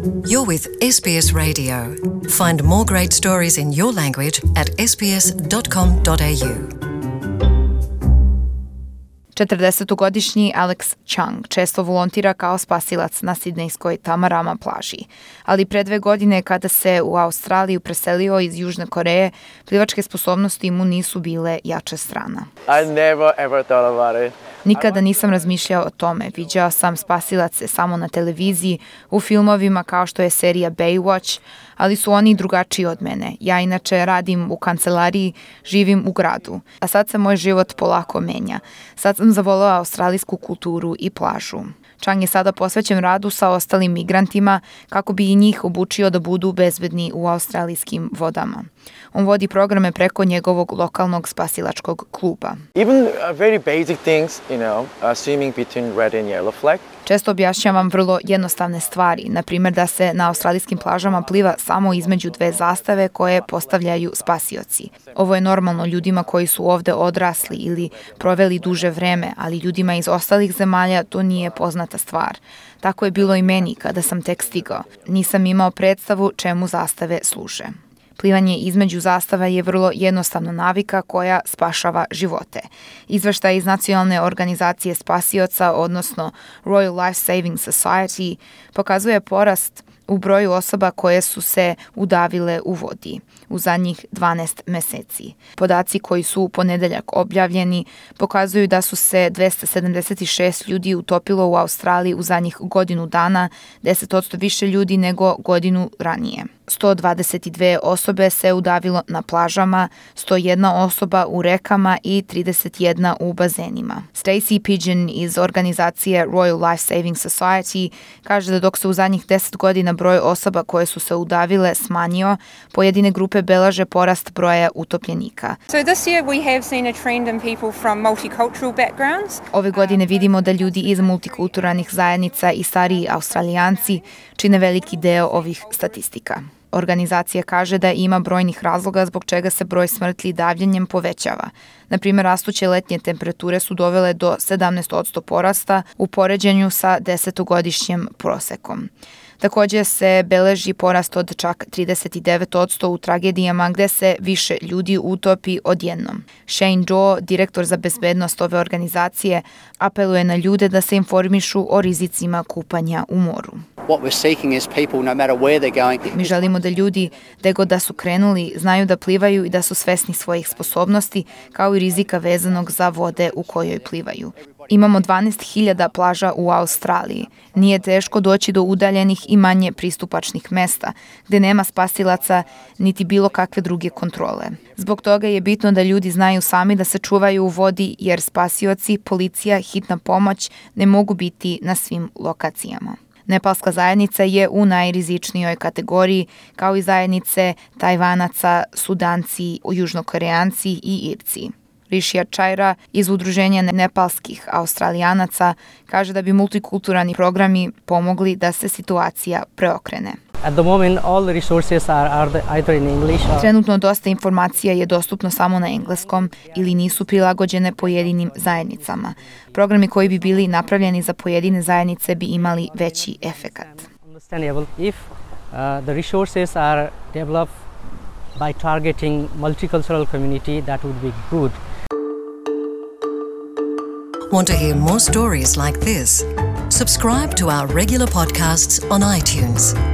You're with SBS Radio. Find more great stories in your language at sbs.com.au. 40-godišnji Alex Chung često volontira kao spasilac na sidnejskoj Tamarama plaži. Ali pre 2 godine kada se u Australiju preselio iz Južne Koreje, plivačke sposobnosti mu nisu bile jača strana. I never ever thought about it. Nikada nisam razmišljao o tome. Viđao sam spasilace samo na televiziji, u filmovima kao što je serija Baywatch, ali su oni drugačiji od mene. Ja inače radim u kancelariji, živim u gradu. A sad se moj život polako menja. Sad sam zavoleo australijsku kulturu i plažu. Chung je sada posvećen radu sa ostalim migrantima kako bi i njih obučio da budu bezbedni u australijskim vodama. On vodi programe preko njegovog lokalnog spasilačkog kluba. Even very basic things, swimming between red and yellow flag. Često objašnjavam vrlo jednostavne stvari, na primjer da se na australijskim plažama pliva samo između 2 zastave koje postavljaju spasioci. Ovo je normalno ljudima koji su ovde odrasli ili proveli duže vreme, ali ljudima iz ostalih zemalja to nije poznata stvar. Tako je bilo i meni kada sam tek stigao. Nisam imao predstavu čemu zastave služe. Plivanje između zastava je vrlo jednostavna navika koja spašava živote. Izveštaj iz Nacionalne organizacije spasioca, odnosno Royal Life Saving Society, pokazuje porast u broju osoba koje su se udavile u vodi u zadnjih 12 meseci. Podaci koji su u ponedeljak objavljeni pokazuju da su se 276 ljudi utopilo u Australiji u zadnjih godinu dana, 10% više ljudi nego godinu ranije. 122 osobe se udavilo na plažama, 101 osoba u rekama i 31 u bazenima. Stacey Pigeon iz organizacije Royal Life Saving Society kaže da dok se u zadnjih 10 godina broj osoba koje su se udavile smanjio, pojedine grupe beleže porast broja utopljenika. So this year we have seen a trend in people from multicultural backgrounds. Ove godine vidimo da ljudi iz multikulturalnih zajednica i stariji Australijanci čine veliki deo ovih statistika. Organizacija kaže da ima brojnih razloga zbog čega se broj smrtli davljenjem povećava. Na primjer, rastuće letnje temperature su dovele do 17% porasta u poređenju sa 10-godišnjim prosekom. Također se beleži porast od čak 39% u tragedijama gde se više ljudi utopi odjednom. Shane Doe, direktor za bezbednost ove organizacije, apeluje na ljude da se informišu o rizicima kupanja u moru. Mi želimo da ljudi, gde god da su krenuli, znaju da plivaju i da su svesni svojih sposobnosti, kao i rizika vezanog za vode u kojoj plivaju. Imamo 12.000 plaža u Australiji. Nije teško doći do udaljenih i manje pristupačnih mesta, gde nema spasilaca niti bilo kakve druge kontrole. Zbog toga je bitno da ljudi znaju sami da se čuvaju u vodi, jer spasioci, policija, hitna pomoć ne mogu biti na svim lokacijama. Nepalska zajednica je u najrizičnijoj kategoriji, kao i zajednice Tajvanaca, Sudanci, Južnokoreanci i Irci. Rishia Chaira iz udruženja nepalskih Australijanaca kaže da bi multikulturalni programi pomogli da se situacija preokrene. At the moment, all the resources are either in English or... Trenutno dosta informacija je dostupno samo na engleskom ili nisu prilagođene pojedinim zajednicama. Programi koji bi bili napravljeni za pojedine zajednice bi imali veći efekat. Understandable. If the resources are developed by targeting multicultural community, that would be good. Want to hear more stories like this? Subscribe to our regular podcasts on iTunes.